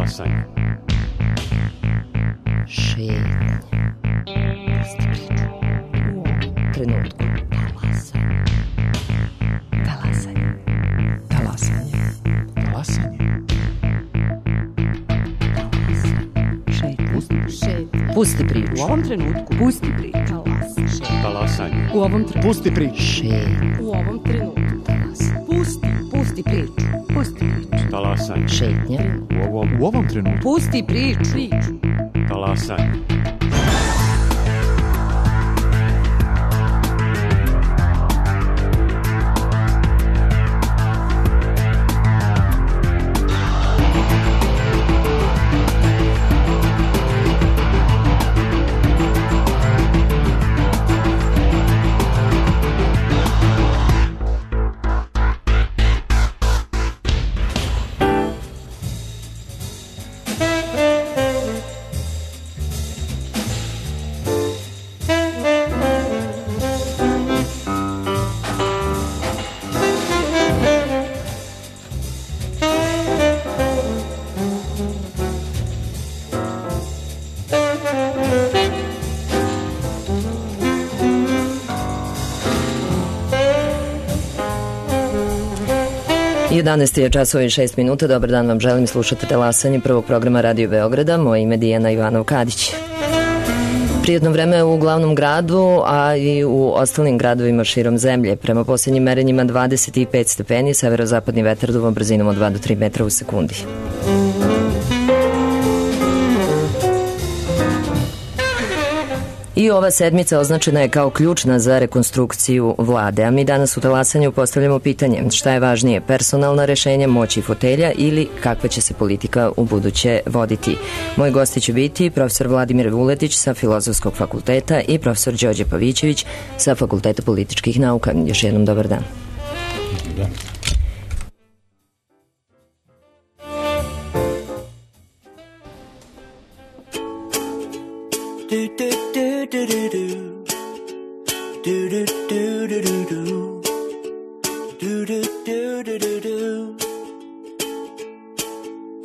Talasanje. Šetnje. Trenutku. Talasanje. Talasanje. Talasanje. Pusti priču. U ovom trenutku. Pusti priču. Talasanje. U ovom trenutku. Pusti priču. U ovom trenutku. Pusti priču. Pusti priču. Talasanje. Šetnja. U ovom trenutku. Pusti priču. Talasanje. Jedanaest je časova i 6 minuta. Dobar dan vam želim, slušate Talasanje prvog programa Radio Beograda. Moje ime je Dijana Ivanov-Kadić. Prijetno vreme u glavnom gradu, a i u ostalim gradovima širom zemlje. Prema posljednjim merenjima 25 stepeni, severozapadni vetar duvom brzinom od 2 do 3 metra u sekundi. I ova sedmica označena je kao ključna za rekonstrukciju vlade, a mi danas u Talasanju postavljamo pitanje šta je važnije, personalna rešenja, moć i fotelja ili kakva će se politika u buduće voditi. Moji gosti će biti profesor Vladimir Vuletić sa Filozofskog fakulteta i profesor Đorđe Pavićević sa Fakulteta političkih nauka. Još jednom dobar dan. Da.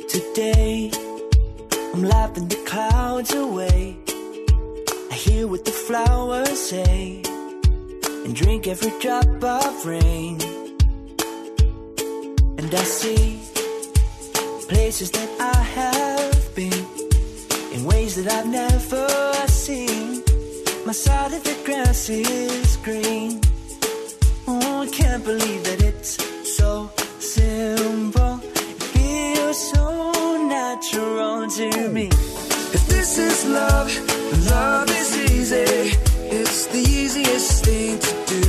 Today I'm laughing the clouds away. I hear what the flowers say and drink every drop of rain. And I see places that I have been in ways that I've never seen. My side of the grass is green. Oh, I can't believe that it's so simple. It feels so natural to me. If this is love, love is easy. It's the easiest thing to do.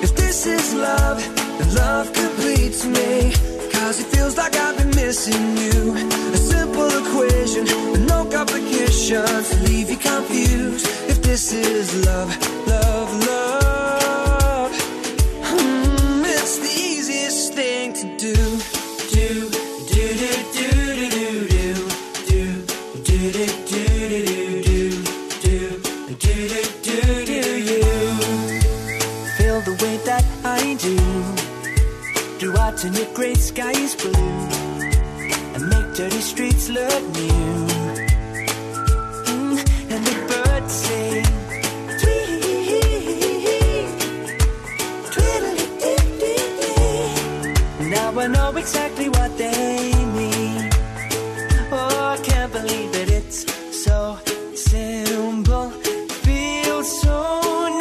If this is love, then love completes me. Cause it feels like I've been missing you. A simple equation with no complications to leave you confused. If this is love, love, love, it's the easiest thing to do. Do, do, do, do, do, do, do, do, do, do, do, do, do, do, do, you feel the way that I do? Do I turn your gray skies blue and make dirty streets look new? And the birds sing, now I know exactly what they mean. Oh, I can't believe that it's so simple. It feels so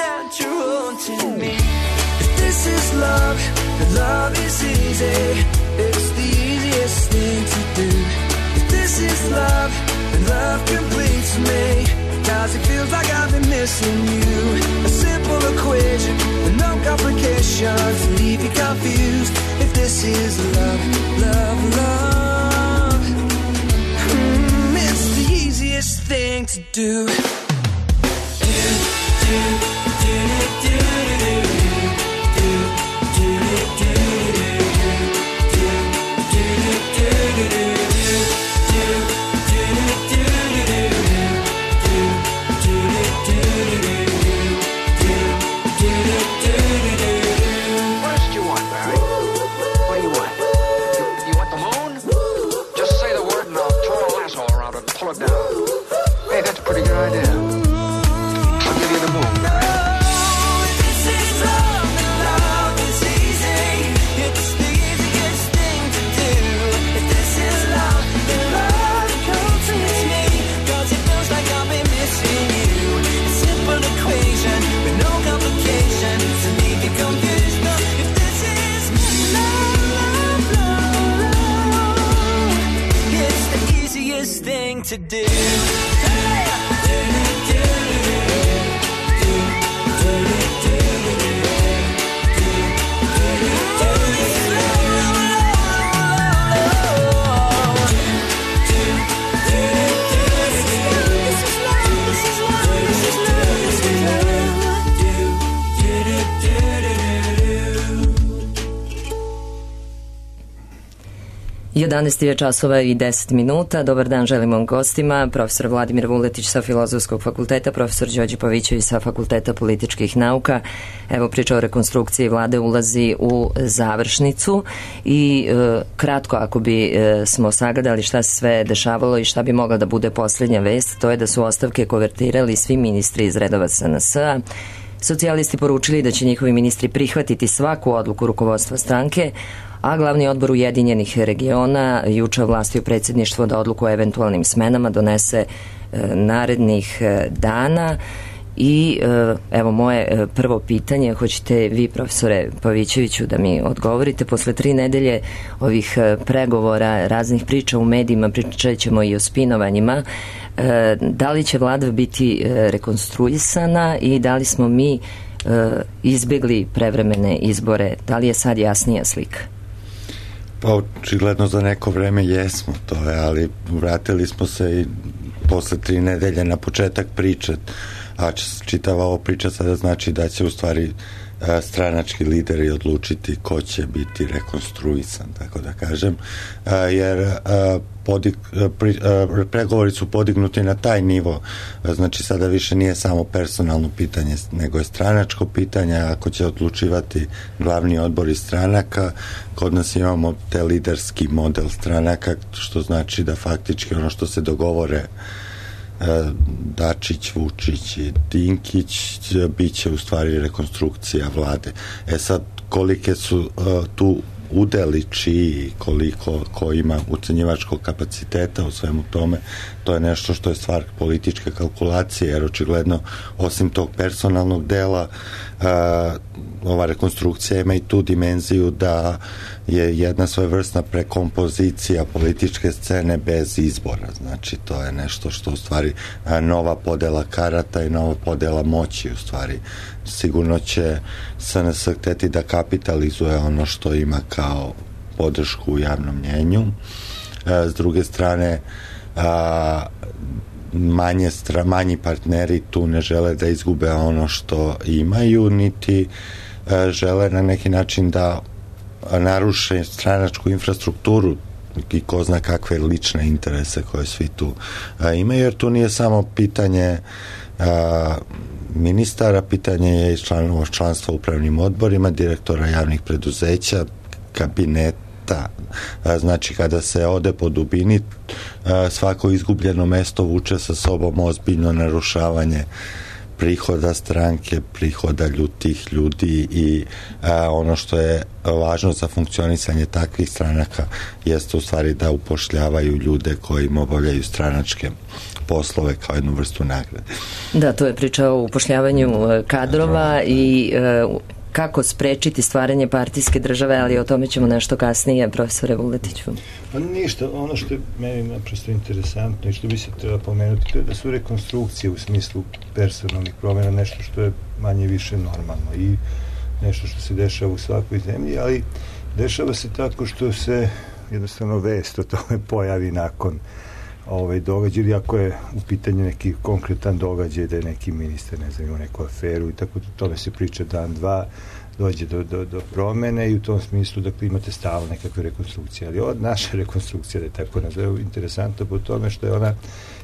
natural to me. If this is love, then love is easy. It's the easiest thing to do. If this is love, then love completes me. Cause it feels like I've been missing you. A simple equation with no complications to leave you confused. If this is love, love, love, it's the easiest thing to do. Do, do, do, do, do, do, do, do, do, do, do, do. What do you want, Barry? You want the moon? Just say the word and I'll twirl to do. Jedanaest je časova i 10 minuta. Dobar dan želimo gostima, profesor Vladimir Vuletić sa Filozofskog fakulteta, profesor Đorđe Pavićević sa Fakulteta političkih nauka. Evo, priča o rekonstrukciji vlade ulazi u završnicu i kratko, ako bi smo sagledali šta se sve dešavalo i šta bi mogla da bude posljednja vest, to je da su ostavke konvertirali svi ministri iz redova SNS-a. Socijalisti poručili da će njihovi ministri prihvatiti svaku odluku rukovodstva stranke, a glavni odbor Ujedinjenih regiona juče ovlastio predsjedništvo da odluku o eventualnim smenama donese narednih dana. I evo moje prvo pitanje, hoćete vi, profesore Pavićeviću, da mi odgovorite. Posle 3 nedelje ovih pregovora, raznih priča u medijima, pričat ćemo i o spinovanjima, da li će vlada biti rekonstruisana i da li smo mi izbjegli prevremene izbore, da li je sad jasnija slika? Pa očigledno za neko vreme jesmo, to je, ali vratili smo se i posle 3 nedelje na početak priče, a čitava ova priča sada znači da će u stvari stranački lideri odlučiti ko će biti rekonstruisan, tako da kažem, jer pregovori su podignuti na taj nivo, znači sada više nije samo personalno pitanje, nego je stranačko pitanje. Ako će odlučivati glavni odbor iz stranaka, kod nas imamo te liderski model stranaka, što znači da faktički ono što se dogovore Dačić, Vučić i Dinkić bit će u stvari rekonstrukcija vlade. Sad, kolike su tu udeli čiji, koliko ko ima ucenjivačkog kapaciteta u svemu tome, to je nešto što je stvar političke kalkulacije, jer očigledno osim tog personalnog dela ova rekonstrukcija ima i tu dimenziju da je jedna svojevrsna prekompozicija političke scene bez izbora. Znači to je nešto što u stvari nova podela karata i nova podela moći u stvari. Sigurno će SNS hteti da kapitalizuje ono što ima kao podršku u javnom mnjenju. S druge strane, manji partneri tu ne žele da izgube ono što imaju, niti žele na neki način da naruše stranačku infrastrukturu i ko zna kakve lične interese koje svi tu imaju, jer tu nije samo pitanje ministara, pitanje je i članstva u upravnim odborima, direktora javnih preduzeća, kabineta. Znači kada se ode po dubini, svako izgubljeno mesto vuče sa sobom ozbiljno narušavanje prihoda stranke, prihoda tih ljudi i ono što je važno za funkcionisanje takvih stranaka jeste u stvari da upošljavaju ljude koji im obavljaju stranačke poslove kao jednu vrstu nagrade. Da, to je priča o upošljavanju kadrova i kako sprečiti stvaranje partijske države, ali o tome ćemo nešto kasnije, profesore Vuletiću. Pa ništa, ono što je meni naprosto interesantno i što bi se treba pomenuti, to je da su rekonstrukcije u smislu personalnih promjena nešto što je manje više normalno i nešto što se dešava u svakoj zemlji, ali dešava se tako što se jednostavno vest o tome pojavi nakon događaj, ili ako je u pitanju neki konkretan događaj da je neki ministar, ne znam, ima neku aferu i tako, tome se priča dan, dva, dođe do promene i u tom smislu, dakle, imate stalno nekakve rekonstrukcije, ali ova naša rekonstrukcija, da je tako nazove, interesantno po tome što je ona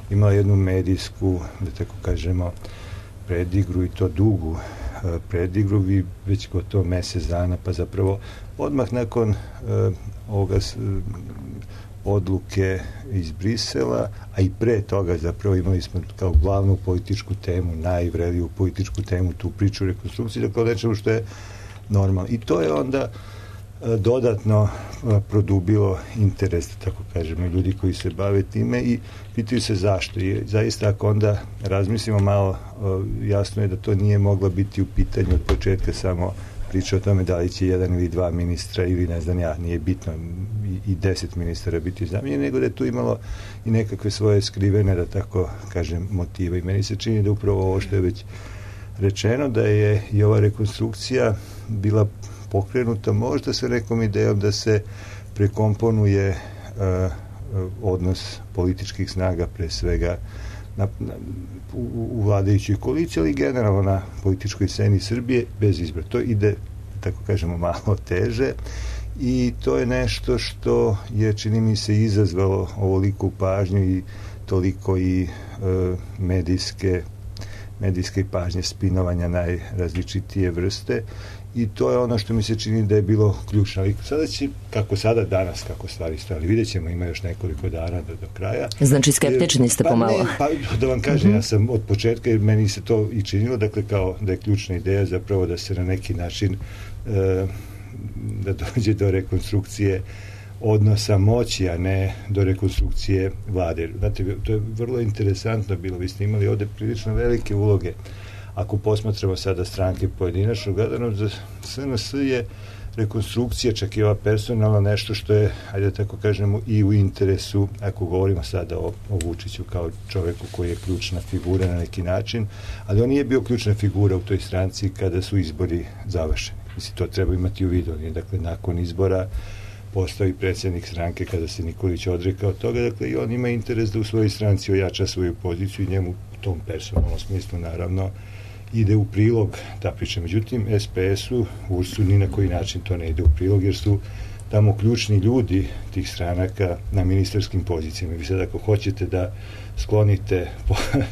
imala jednu medijsku, da tako kažemo, predigru i to dugu predigru, vi već gotovo mesec dana, pa zapravo odmah nakon ovoga odluke iz Brisela, a i pre toga zapravo imali smo kao glavnu političku temu, najvreliju političku temu, tu priču o rekonstrukciji, dakle o nečemu što je normalno. I to je onda dodatno produbilo interes, tako kažemo, ljudi koji se bave time i pitaju se zašto. I zaista ako onda razmislimo malo, jasno je da to nije mogla biti u pitanju od početka samo priča o tome da li će jedan ili dva ministra ili ne znam ja, nije bitno i 10 ministara biti zamenjeni, nego da je tu imalo i nekakve svoje skrivene, da tako kažem, motive. I meni se čini da upravo ovo što je već rečeno, da je i ova rekonstrukcija bila pokrenuta možda sa nekom idejom da se prekomponuje odnos političkih snaga, pre svega u vladajućoj koaliciji, ali generalno na političkoj sceni Srbije bez izbora. To ide, tako kažemo, malo teže i to je nešto što je, čini mi se, izazvalo ovoliku pažnju i toliko i medijske pažnje, spinovanja najrazličitije vrste, i to je ono što mi se čini da je bilo ključno. Ali sada će, danas, kako stvari stoje, vidjet ćemo, ima još nekoliko dana do kraja. Znači skeptični ste pomalo. Da vam kažem, ja sam od početka, jer meni se to i činilo, dakle, kao da je ključna ideja zapravo da se na neki način da dođe do rekonstrukcije odnosa moći, a ne do rekonstrukcije vlade. Znate, to je vrlo interesantno bilo. Vi ste imali ovde prilično velike uloge. Ako posmatramo sada stranke pojedinačno gledano, za SNS je rekonstrukcija, čak i ova personalna, nešto što je, ajde tako kažemo, i u interesu, ako govorimo sada o Vučiću kao čoveku koji je ključna figura na neki način, ali on nije bio ključna figura u toj stranci kada su izbori završeni. Mislim, to treba imati u vidu. Dakle, nakon izbora postao i predsjednik stranke kada se Nikolić odrekao toga, dakle, i on ima interes da u svojoj stranci ojača svoju poziciju i njemu u tom personalnom smislu, naravno, ide u prilog ta priča. Međutim, SPS-u, URS-u ni na koji način to ne ide u prilog, jer su tamo ključni ljudi tih stranaka na ministarskim pozicijama. Vi sad ako hoćete da sklonite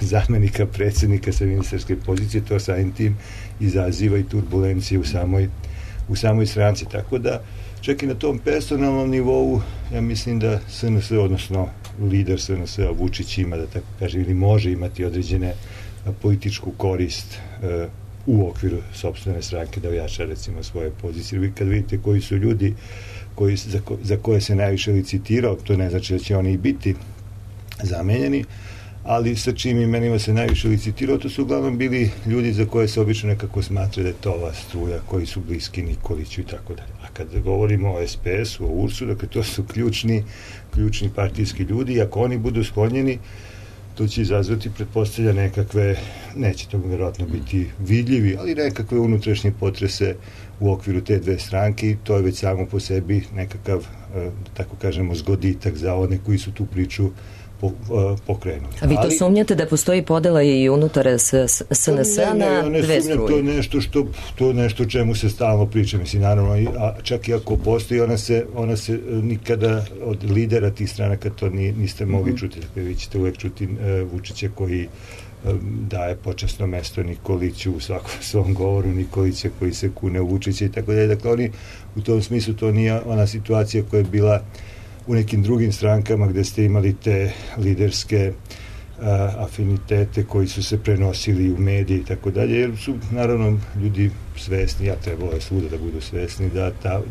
zamenika predsjednika sa ministarske pozicije, to samim tim izaziva i turbulencije u samoj stranci. Tako da, čak i na tom personalnom nivou, ja mislim da SNS, odnosno lider SNS-a Vučić ima, da tako kažem, ili može imati određene političku korist u okviru sopstvene stranke da ojača, recimo, svoje pozicije. Vi kad vidite koji su ljudi za koje se najviše licitirao, to ne znači da će oni i biti zamenjeni, ali sa čim imenima se najviše licitirao, to su uglavnom bili ljudi za koje se obično nekako smatra da je to ova struja, koji su bliski Nikoliću i tako dalje. A kad govorimo o SPS-u, o URS-u, dakle, to su ključni partijski ljudi, i ako oni budu sklonjeni, to će izazvati, pretpostavlja, nekakve, neće to vjerojatno biti vidljivi, ali nekakve unutrašnje potrese u okviru te dve stranke, i to je već samo po sebi nekakav, da tako kažemo, zgoditak za one koji su tu priču pokrenuti. A vi to sumnjate da postoji podela i unutar SNS-a na dve struje? To je nešto o čemu se stalno priča, mislim, naravno, a čak i ako postoji, ona se nikada od lidera tih stranaka to niste mogli čuti. Dakle, vi ćete uvek čuti Vučića koji daje počasno mesto Nikoliću u svakom svom govoru, Nikolića koji se kune u Vučića i tako dalje. Dakle, oni u tom smislu, to nije ona situacija koja je bila u nekim drugim strankama gde ste imali te liderske afinitete koji su se prenosili u medije i tako dalje, jer su, naravno, ljudi svesni, a trebalo je svuda da budu svesni,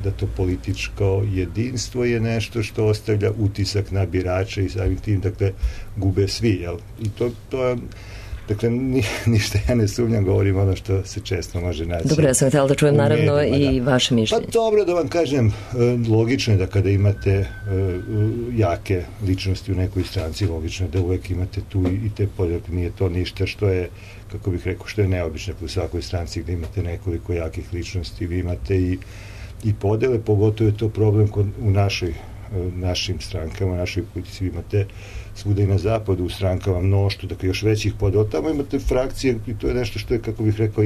da to političko jedinstvo je nešto što ostavlja utisak na birače i samim tim, dakle, gube svi, jel? I to je, dakle, ništa ja ne sumnjam, govorim ono što se često može naći. Dobro, ja sam htjela da čujem naravno i vaše mišljenje. Pa dobro, da vam kažem, logično je da kada imate jake ličnosti u nekoj stranci, logično je da uvek imate tu i te podjele. Nije to ništa što je, kako bih rekao, što je neobično u svakoj stranci gde imate nekoliko jakih ličnosti. Vi imate i podele, pogotovo je to problem u našim strankama, našoj politici. Vi imate svuda i na zapadu u strankama mnoštvo, dakle, još većih podela. Tamo imate frakcije i to je nešto što je, kako bih rekao,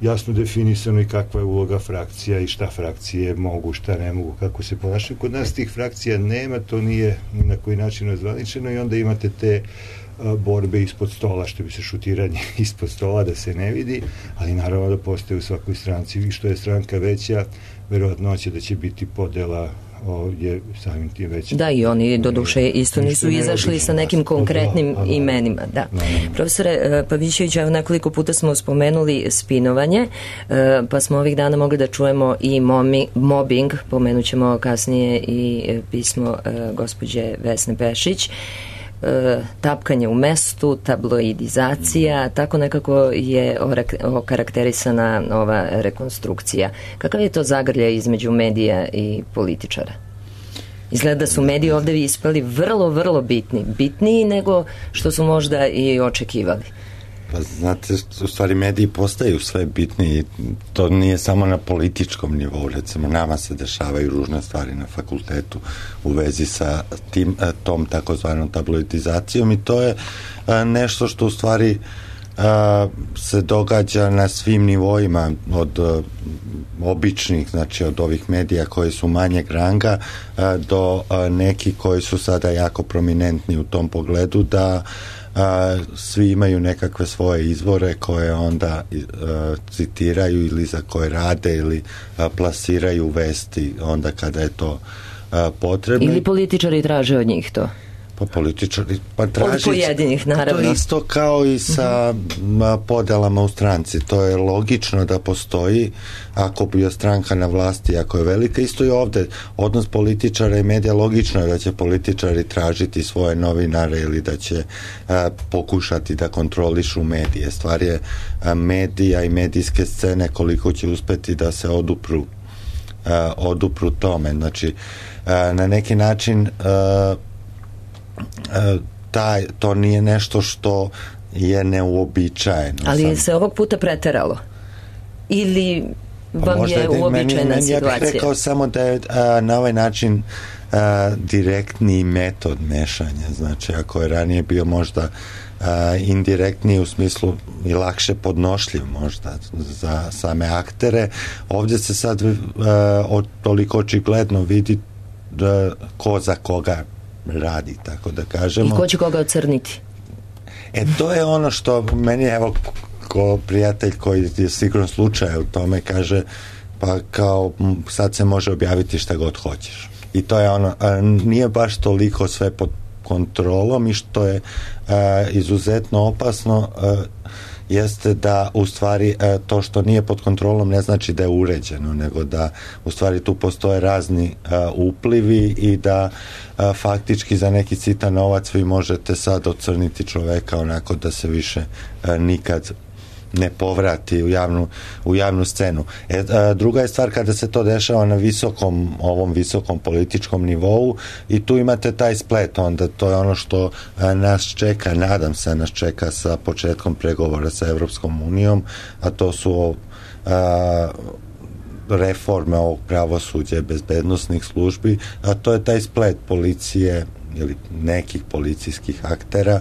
jasno definisano i kakva je uloga frakcija i šta frakcije mogu, šta ne mogu, kako se ponašaju. Kod nas tih frakcija nema, to nije ni na koji način ozvaničeno, i onda imate te borbe ispod stola, što bi se šutiranje ispod stola, da se ne vidi, ali naravno da postoje u svakoj stranci, i što je stranka veća, verovatnoća da će biti podela je samim tim veća. Da, i oni do duše isto nisu izašli sa nekim konkretnim imenima. Da. Profesore Pavićević, evo, nekoliko puta smo spomenuli spinovanje, pa smo ovih dana mogli da čujemo i mobbing, pomenut ćemo kasnije i pismo gospođe Vesne Pešić. tapkanje u mestu, tabloidizacija, tako nekako je okarakterisana ova rekonstrukcija. Kakav je to zagrljaj između medija i političara? Izgleda da su mediji ovde ispali vrlo, vrlo bitni. Bitniji nego što su možda i očekivali. Pa znate, u stvari mediji postaju sve bitniji. To nije samo na političkom nivou. Recimo, nama se dešavaju ružne stvari na fakultetu u vezi sa tom takozvanom tabloidizacijom i to je nešto što u stvari se događa na svim nivoima, od običnih, znači od ovih medija koji su manjeg ranga do nekih koji su sada jako prominentni u tom pogledu, da svi imaju nekakve svoje izvore koje onda citiraju ili za koje rade ili plasiraju vesti onda kada je to potrebno. Ili političari traže od njih to? Pa političari, pa traži... Od pojedinih, naravno. To je isto kao i sa podelama u stranci. To je logično da postoji ako je stranka na vlasti, ako je velika. Isto i ovde. Odnos političara i medija, logično je da će političari tražiti svoje novinare ili da će pokušati da kontrolišu medije. Stvar je medija i medijske scene koliko će uspeti da se odupru tome. Znači, na neki način to nije nešto što je neuobičajeno. Ali se ovog puta preteralo? Ili vam je uobičajena situacija? Ja bih rekao samo da je na ovaj način direktni metod mešanja. Znači, ako je ranije bio možda indirektniji u smislu i lakše podnošljiv možda za same aktere, ovdje se sad toliko očigledno vidi ko za koga radi, tako da kažemo. I ko će koga ocrniti? To je ono što meni, evo, ko prijatelj koji je sigurno slučaj u tome, kaže, pa kao sad se može objaviti šta god hoćeš. I to je ono, nije baš toliko sve pod kontrolom i što je izuzetno opasno jeste da u stvari to što nije pod kontrolom ne znači da je uređeno, nego da u stvari tu postoje razni uplivi i da faktički za neki sitan novac vi možete sad ocrniti čoveka onako da se više nikad ne povrati u javnu scenu. Druga je stvar kada se to dešava na ovom visokom političkom nivou i tu imate taj splet, onda to je ono što nas čeka, nadam se nas čeka sa početkom pregovora sa Evropskom unijom, a to su reforme ovog pravosuđa i bezbednosnih službi, a to je taj splet policije ili nekih policijskih aktera,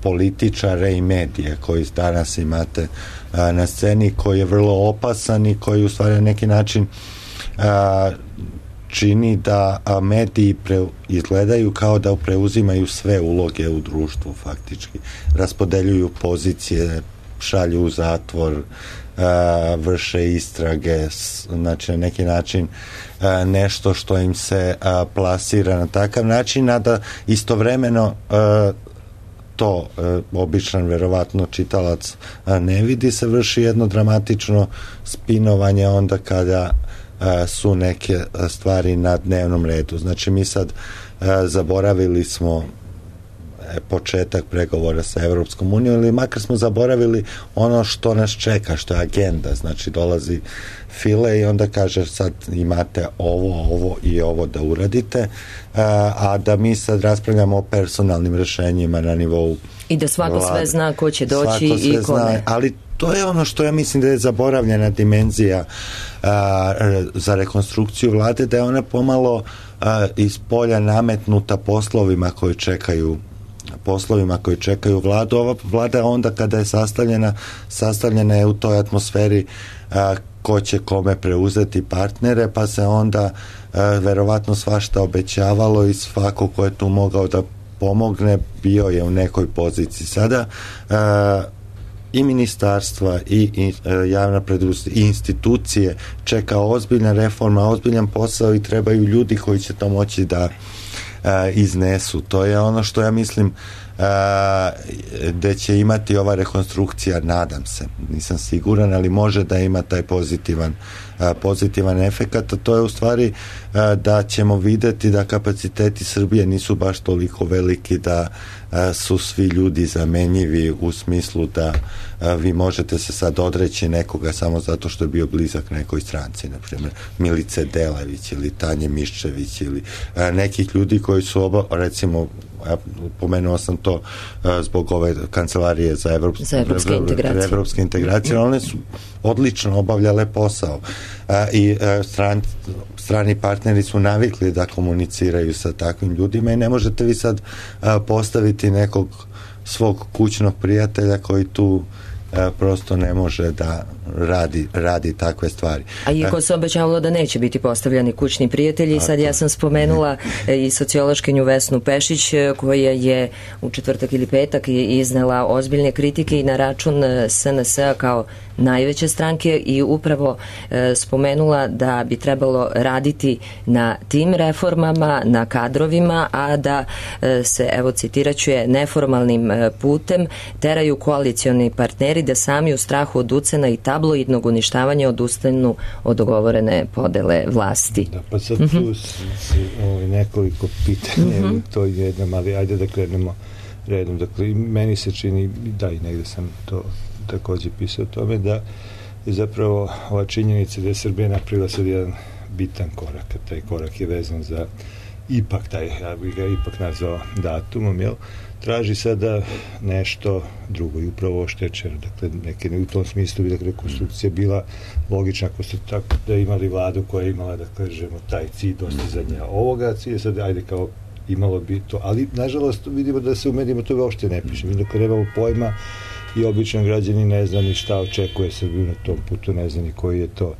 političare i medije koji danas imate na sceni, koji je vrlo opasan i koji u stvari na neki način čini da mediji izgledaju kao da preuzimaju sve uloge u društvu faktički. Raspodeljuju pozicije, šalju u zatvor, vrše istrage, znači na neki način nešto što im se plasira na takav način, a da istovremeno to običan verovatno čitalac ne vidi, se vrši jedno dramatično spinovanje onda kada su neke stvari na dnevnom redu. Znači mi sad zaboravili smo početak pregovora sa Evropskom unijom ili makar smo zaboravili ono što nas čeka, što je agenda. Znači dolazi File i onda kaže sad imate ovo i ovo da uradite, a da mi sad raspravljamo o personalnim rešenjima na nivou i da svako sve zna ko će doći i ko ne. Ali to je ono što ja mislim da je zaboravljena dimenzija za rekonstrukciju vlade, da je ona pomalo iz polja nametnuta poslovima koji čekaju vladu. Ova vlada onda kada je sastavljena je u toj atmosferi ko će kome preuzeti partnere, pa se onda verovatno svašta obećavalo i svako ko je tu mogao da pomogne bio je u nekoj poziciji. Sada i ministarstva i javna preduzeća i institucije čeka ozbiljna reforma, ozbiljan posao i trebaju ljudi koji će to moći da iznesu. To je ono što ja mislim da će imati ova rekonstrukcija, nadam se, nisam siguran, ali može da ima taj pozitivan efekat, a to je u stvari da ćemo videti da kapaciteti Srbije nisu baš toliko veliki da su svi ljudi zamenjivi u smislu da vi možete se sad odreći nekoga samo zato što je bio blizak nekoj stranci, na primjer Milice Delević ili Tanje Miščević ili nekih ljudi koji su recimo, pomenuo sam to zbog ove kancelarije za evropske integracije, one su odlično obavljale posao i strani partneri su navikli da komuniciraju sa takvim ljudima i ne možete vi sad postaviti nekog svog kućnog prijatelja koji tu prosto ne može da radi takve stvari. A iako se obećavalo da neće biti postavljani kućni prijatelji, sad ja sam spomenula i sociološkinju Vesnu Pešić koja je u četvrtak ili petak iznela ozbiljne kritike i na račun SNS-a kao najveće stranke i upravo spomenula da bi trebalo raditi na tim reformama, na kadrovima, a da se, evo citiraću je, neformalnim putem teraju koalicioni partneri da sami u strahu od ucena i tabloidnog uništavanja odustanu od dogovorene podele vlasti. Da, pa sad tu nekoliko pitanja, to je jednom, ali ajde da krenemo redom. Dakle, meni se čini, da i negde sam to takođe pisao o tome, da je zapravo ova činjenica da je Srbija napravila sad jedan bitan korak, a taj korak je vezan za ipak taj, ja bih ga ipak nazvao datumom, jel? Traži sada nešto drugo i upravo oštečeno. Dakle, u tom smislu bi rekonstrukcija bila logična ako ste tako da imali vladu koja je imala, da kažemo, taj cilj dostizanja ovoga cilja, sad ajde kao imalo bi to, ali nažalost vidimo da se u medijima to uopšte ne piše. Vidimo da nemamo pojma i običan građani ne zna ni šta očekuje Srbiju na tom putu, ne zna ni koji je to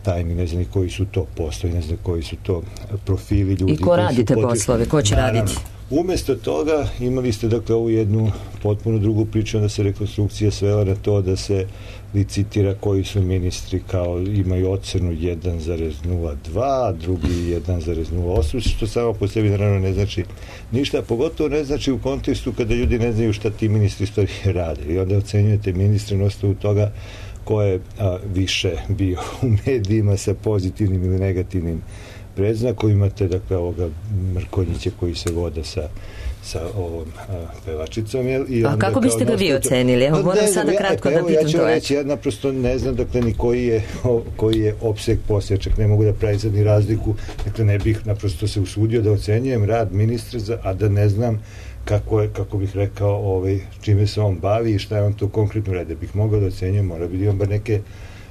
tajmi, ne znam ni koji su to poslovi, ne znam koji su to profili ljudi. I ko radi te poslove, ko će raditi? Umesto toga imali ste dakle ovu jednu potpuno drugu priču, onda se rekonstrukcija svela na to da se licitira koji su ministri, kao imaju ocenu 1,02, drugi 1,08, što samo po sebi naravno ne znači ništa, pogotovo ne znači u kontekstu kada ljudi ne znaju šta ti ministri stvari rade i onda ocenjujete ministre na osnovu toga ko je više bio u medijima sa pozitivnim ili negativnim predznakom. Imate dakle ovoga Mrkonjića koji se voda sa ovom pevačicom. I onda, kako biste ga vi ocenili? Evo, moram sada kratko da pitam to. Ja ću reći, ja naprosto ne znam dakle ni koji je opseg posla, čak ne mogu da pravim sad ni razliku, dakle ne bih naprosto se usudio da ocenjujem rad ministra, a da ne znam kako bih rekao, čime se on bavi i šta je on to konkretno radi. Da bih mogao da ocenjujem, mora bi da imam bar neke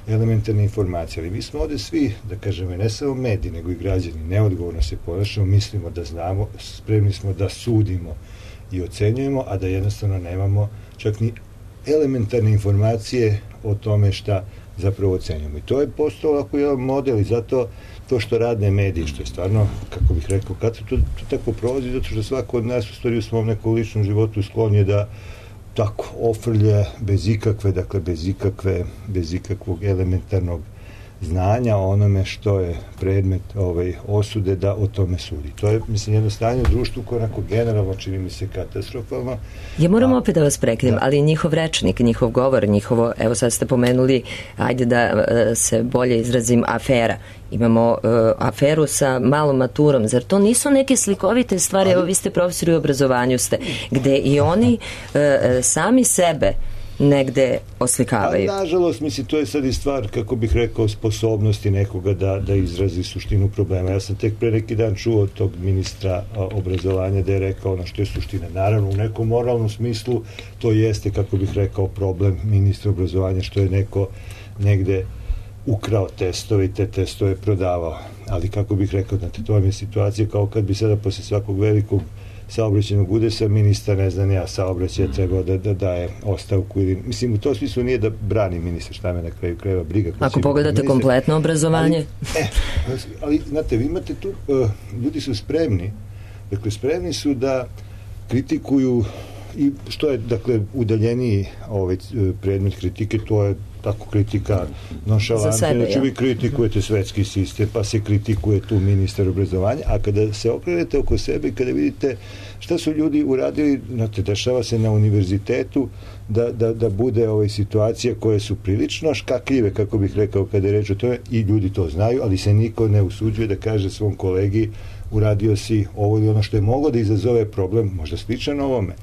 elementarne informacije. Ali mi smo ovde svi, da kažemo, ne samo mediji, nego i građani, neodgovorno se ponašamo, mislimo da znamo, spremni smo da sudimo i ocenjujemo, a da jednostavno nemamo čak ni elementarne informacije o tome šta zapravo ocenjujemo. I to je postao ovako jedan model i zato to što radne mediji, što je stvarno, kako bih rekao, kad se to tako prolazi, zato što svako od nas u stvari u svom nekom ličnom životu sklon je da tako ofrlje bez ikakvog elementarnog znanja o onome što je predmet osude, da o tome sudi. To je, mislim, jedno stanje u društvu koje onako generalno čini mi se katastrofalno. Ja moram opet da vas prekinem, ali njihov rečnik, njihov govor, njihovo, evo sad ste pomenuli, ajde da se bolje izrazim, afera. Imamo aferu sa malom maturom. Zar to nisu neke slikovite stvari? Evo, vi ste profesori u obrazovanju ste, gde i oni sami sebe negde oslikavaju. Nažalost, mislim, to je sad i stvar, kako bih rekao, sposobnosti nekoga da izrazi suštinu problema. Ja sam tek pre neki dan čuo od tog ministra obrazovanja da je rekao ono što je suština. Naravno, u nekom moralnom smislu to jeste, kako bih rekao, problem ministra obrazovanja, što je neko negde ukrao testove i te testove prodavao. Ali, kako bih rekao, znate, to vam je situacija kao kad bi sada posle svakog velikog saobraćajnog udesa ministar, ne znam ja, saobraćaja trebao da daje ostavku ili, mislim, u tom smislu nije da brani ministar, šta me na kraju krajeva briga. Ako pogledate kompletno obrazovanje. Ali, znate, vi imate tu, ljudi su spremni, dakle, spremni su da kritikuju i što je, dakle, udaljeniji predmet kritike, to je tako kritika nonšalantna, znači vi kritikujete svetski sistem, pa se kritikuje tu ministar obrazovanja, a kada se okrenete oko sebe i kada vidite šta su ljudi uradili, znate, dešava se na univerzitetu da bude situacija koje su prilično škakljive, kako bih rekao, kada je reč o tome, i ljudi to znaju, ali se niko ne usuđuje da kaže svom kolegi uradio si ovo ili ono što je moglo da izazove problem, možda sličan ovome.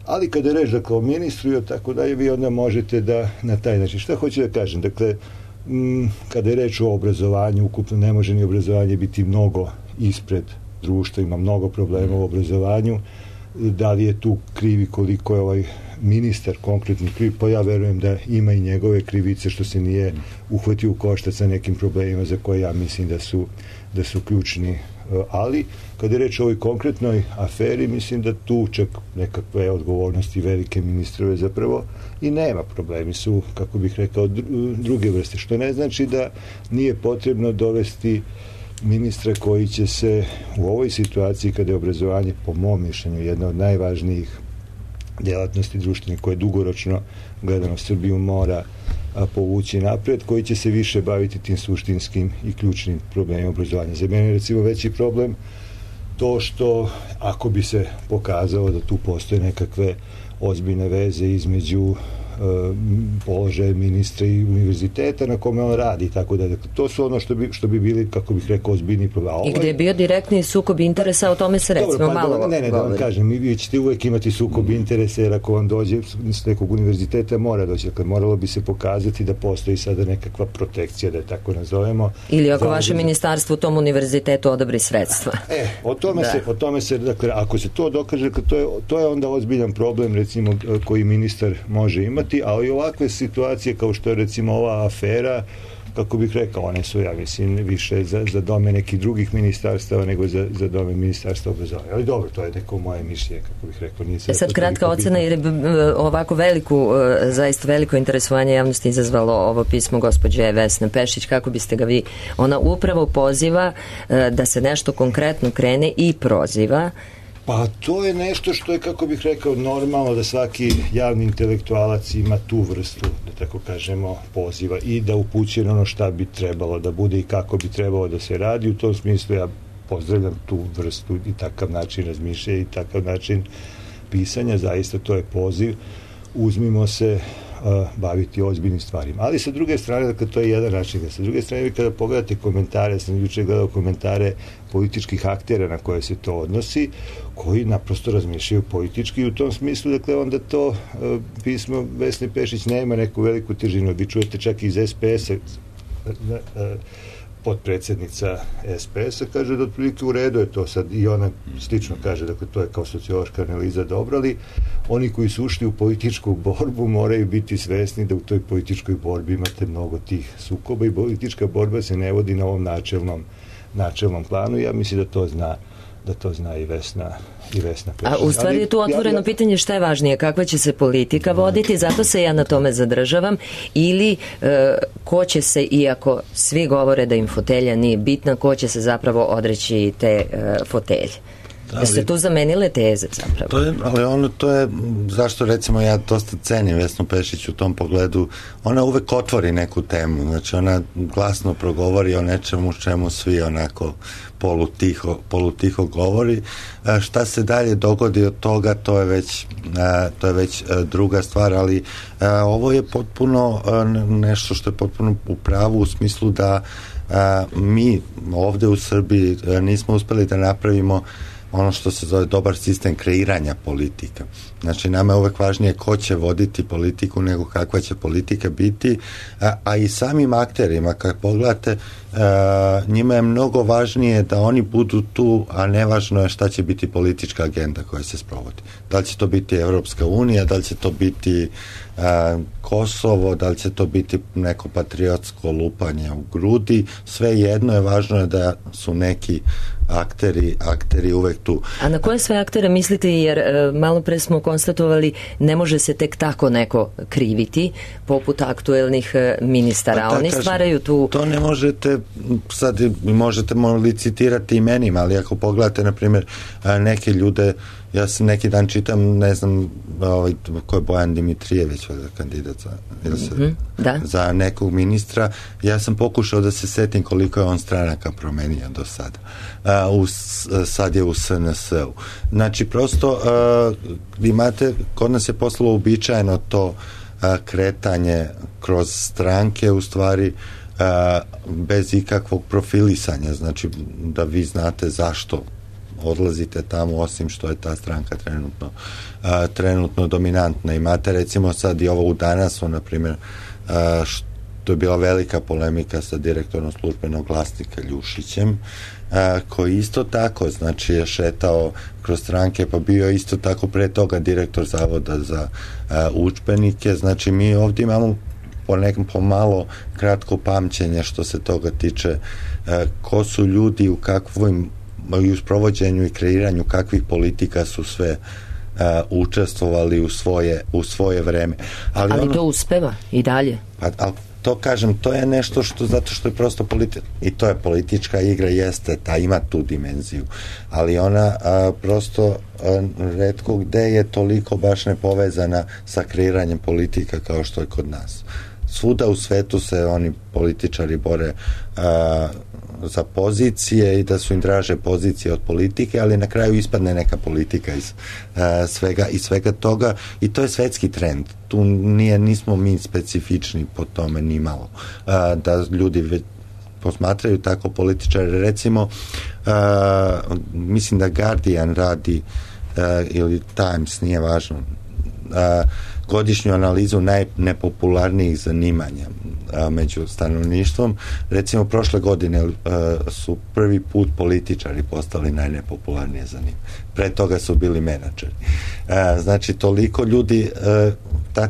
Ali kada je reč da kao ministru i tako dalje, vi onda možete da na taj način. Šta hoću da kažem? Dakle, kada je reč o obrazovanju, ukupno ne može ni obrazovanje biti mnogo ispred društva, ima mnogo problema u obrazovanju. Da li je tu krivi, koliko je ovaj ministar konkretni kriv, pa ja verujem da ima i njegove krivice što se nije uhvatio u koštac sa nekim problemima za koje ja mislim da su ključni. Ali, kada je reč o ovoj konkretnoj aferi, mislim da tu čak nekakve odgovornosti velike ministrove zapravo i nema. Problemi su, kako bih rekao, druge vrste, što ne znači da nije potrebno dovesti ministra koji će se u ovoj situaciji, kada je obrazovanje, po mom mišljenju, jedna od najvažnijih djelatnosti društvenih koje dugoročno gledano Srbiju mora povući napred, koji će se više baviti tim suštinskim i ključnim problemima obrazovanja. Za mene je recimo veći problem to što ako bi se pokazalo da tu postoje nekakve ozbiljne veze između položaja ministra i univerziteta na kome on radi, tako da to su ono što bi bili, kako bih rekao, ozbiljni problem. I gde je bio direktni sukob interesa, o tome se recimo dobro, malo govori. Ne, da vam kažem, vi ćete uvek imati sukob interesa, jer ako vam dođe s nekog univerziteta mora doći, dakle moralo bi se pokazati da postoji sada nekakva protekcija, da je tako nazovemo. Ili ako vaše ministarstvo u tom univerzitetu odobri sredstva. O tome se, dakle, ako se to dokaže, to je onda ozbiljan problem, recimo, koji ministar može imati, ali ovakve situacije kao što je recimo ova afera, kako bih rekao, one su, ja mislim, više za dome nekih drugih ministarstava nego za dome ministarstva obrazovanja. Ali dobro, to je neko moje mišljenje, kako bih rekao. Nije sad kratka ocena, jer je ovako zaista veliko interesovanje javnosti izazvalo ovo pismo gospođe Vesne Pešić. Kako biste ga vi? Ona upravo poziva da se nešto konkretno krene i proziva. Pa to je nešto što je, kako bih rekao, normalno da svaki javni intelektualac ima tu vrstu, da tako kažemo, poziva i da upućuje ono šta bi trebalo da bude i kako bi trebalo da se radi. U tom smislu ja pozdravljam tu vrstu i takav način razmišljanja i takav način pisanja. Zaista to je poziv. Uzmimo se baviti ozbiljnim stvarima. Ali sa druge strane, dakle, to je jedan način. Sa druge strane, vi kada pogledate komentare, sam juče gledao komentare političkih aktera na koje se to odnosi, koji naprosto razmišljaju politički i u tom smislu, dakle, onda to pismo Vesne Pešić nema neku veliku težinu. Vi čujete čak iz SPS-a, potpredsjednica SPS-a kaže da otprilike u redu je to sad i ona slično kaže, dakle to je kao sociološka analiza dobro, ali oni koji su ušli u političku borbu moraju biti svesni da u toj političkoj borbi imate mnogo tih sukoba i politička borba se ne vodi na ovom načelnom planu i ja mislim da to zna i Vesna Pešić. A u stvari je tu otvoreno pitanje šta je važnije, kakva će se politika voditi, zato se ja na tome zadržavam, ili ko će se, iako svi govore da im fotelja nije bitna, ko će se zapravo odreći te fotelje. Jeste tu zamenile teze zapravo? To je zašto recimo ja dosta cenim Vesnu Pešić u tom pogledu, ona uvek otvori neku temu, znači ona glasno progovori o nečemu čemu svi onako polutiho govori. Šta se dalje dogodi od toga, to je već druga stvar, ali ovo je potpuno nešto što je potpuno u pravu u smislu da mi ovde u Srbiji nismo uspeli da napravimo ono što se zove dobar sistem kreiranja politika. Znači, nama je uvek važnije ko će voditi politiku nego kakva će politika biti, a i samim akterima, kad pogledate, njima je mnogo važnije da oni budu tu, a nevažno je šta će biti politička agenda koja se sprovodi. Da li će to biti Evropska unija, da li će to biti Kosovo, da li će to biti neko patriotsko lupanje u grudi, sve jedno je, važno je da su neki akteri uvek tu. A na koje sve aktere mislite, jer malo pre smo konstatovali, ne može se tek tako neko kriviti, poput aktuelnih ministara. Oni stvaraju tu... To ne možete, možete licitirati imenima, ali ako pogledate, na primjer, neke ljude Ja sam neki dan čitam, ne znam ko je Bojan Dimitrijević, kandidat za nekog ministra. Ja sam pokušao da se setim koliko je on stranaka promenio do sada. Sad je u SNS-u. Znači, prosto imate, kod nas je postalo uobičajeno to kretanje kroz stranke, u stvari bez ikakvog profilisanja, znači da vi znate zašto odlazite tamo, osim što je ta stranka trenutno dominantna. Imate recimo sad i ovo u Danasu, na primjer, što je bila velika polemika sa direktorom Službenog glasnika Ljušićem, koji isto tako, znači je šetao kroz stranke, pa bio isto tako pre toga direktor Zavoda za udžbenike. Znači mi ovdje imamo pomalo kratko pamćenje što se toga tiče, ko su ljudi u kakvim i u sprovođenju i kreiranju kakvih politika su sve učestvovali u svoje vreme. Ali to uspeva i dalje. Ali to kažem, to je nešto što, zato što je prosto i to je politička igra, jeste, ima tu dimenziju, ali ona prosto retko gde je toliko baš nepovezana sa kreiranjem politika kao što je kod nas. Svuda u svetu se oni političari bore za pozicije i da su im draže pozicije od politike, ali na kraju ispadne neka politika iz svega toga, i to je svetski trend. Tu nismo mi specifični po tome ni malo. Da ljudi posmatraju tako političare. Recimo, mislim da Guardian radi ili Times, nije važno, godišnju analizu najnepopularnijih zanimanja među stanovništvom. Recimo, prošle godine su prvi put političari postali najnepopularnije zanimanje. Pre toga su bili menadžeri. Znači, toliko ljudi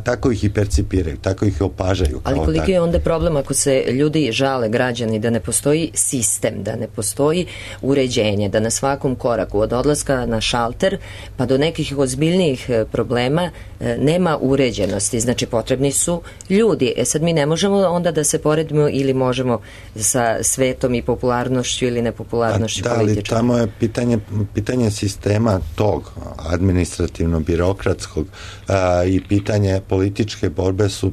tako ih i percipiraju, tako ih opažaju. Ali koliki je onda problem ako se ljudi žale, građani, da ne postoji sistem, da ne postoji uređenje, da na svakom koraku od odlaska na šalter pa do nekih ozbiljnijih problema nema uređenosti, znači potrebni su ljudi. Sad mi ne možemo onda da se poredimo ili možemo sa svetom i popularnošću ili nepopularnošću političara. Ali tamo je pitanje sistema tog administrativno-birokratskog i pitanje političke borbe su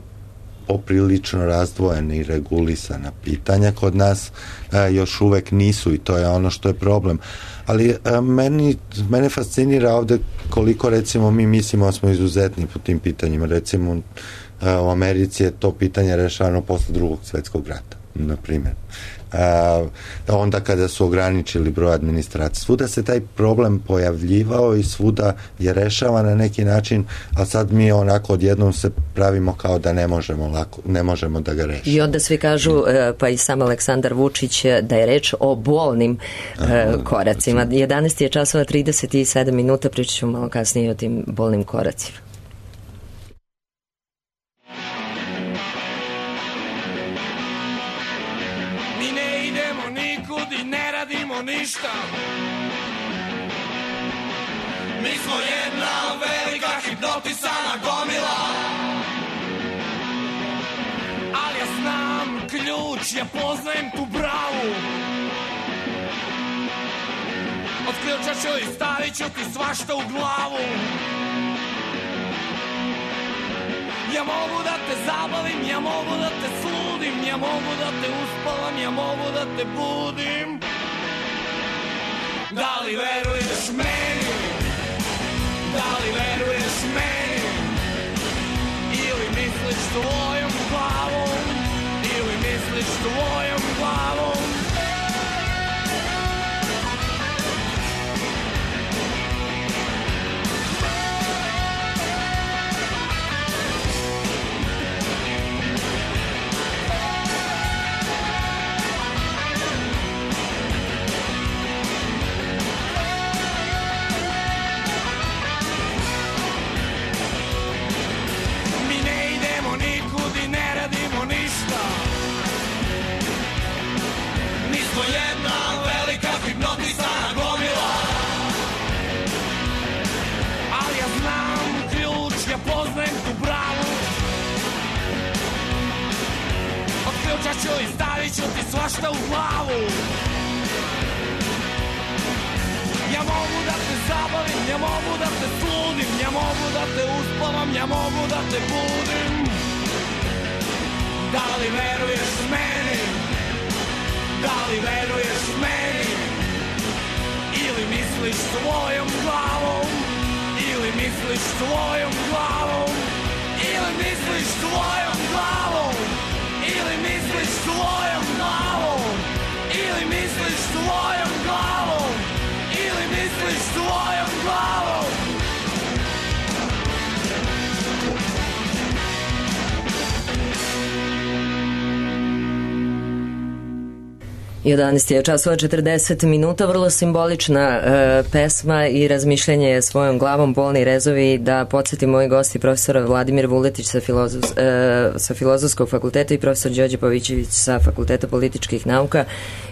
poprilično razdvojene i regulisana pitanja. Kod nas još uvek nisu, i to je ono što je problem. Ali mene fascinira ovde koliko, recimo, mi mislimo da smo izuzetni po tim pitanjima. Recimo, u Americi je to pitanje rešavano posle Drugog svetskog rata, na primjer. Onda kada su ograničili broj administracije. Svuda se taj problem pojavljivao i svuda je rešavan na neki način, a sad mi onako odjednom se pravimo kao da ne možemo da ga rešimo. I onda svi kažu, pa i sam Aleksandar Vučić, da je reč o bolnim koracima. 11 je časova 37 minuta, pričat ću malo kasnije o tim bolnim koracima. Ništa. Mi smo jedna velika hipnotisana gomila, ali ja znam ključ, ja poznajem tu bravu. Od ključa ću i stavit ću ti svašta u glavu. Ja mogu da te zabavim, ja mogu da te sludim, ja mogu da te uspavam, ja mogu da te budim. Da li veruješ meni? Da li veruješ meni? Ili misliš tvojom glavom? Ili misliš tvojom glavom? I stavit ću ti svašta u glavu. Ja ja mogu da te zabavim, ja mogu da te sludim, ja mogu da te uspavam, ja mogu da te budim. Da li veruješ meni? Da li veruješ meni? Ili misliš svojom glavom? Ili misliš svojom glavom? Ili misliš svojom glavom? Ili misliš svojom glavom? Ili misliš svojom glavom? Ili misliš svojom glavom? 11 je časova 40 minuta, vrlo simbolična pesma i razmišljanje svojom glavom, bolni rezovi. Da podsjetim, moji gosti profesora Vladimir Vuletić sa Filozofskog fakulteta i profesor Đorđe Pavićević sa Fakulteta političkih nauka.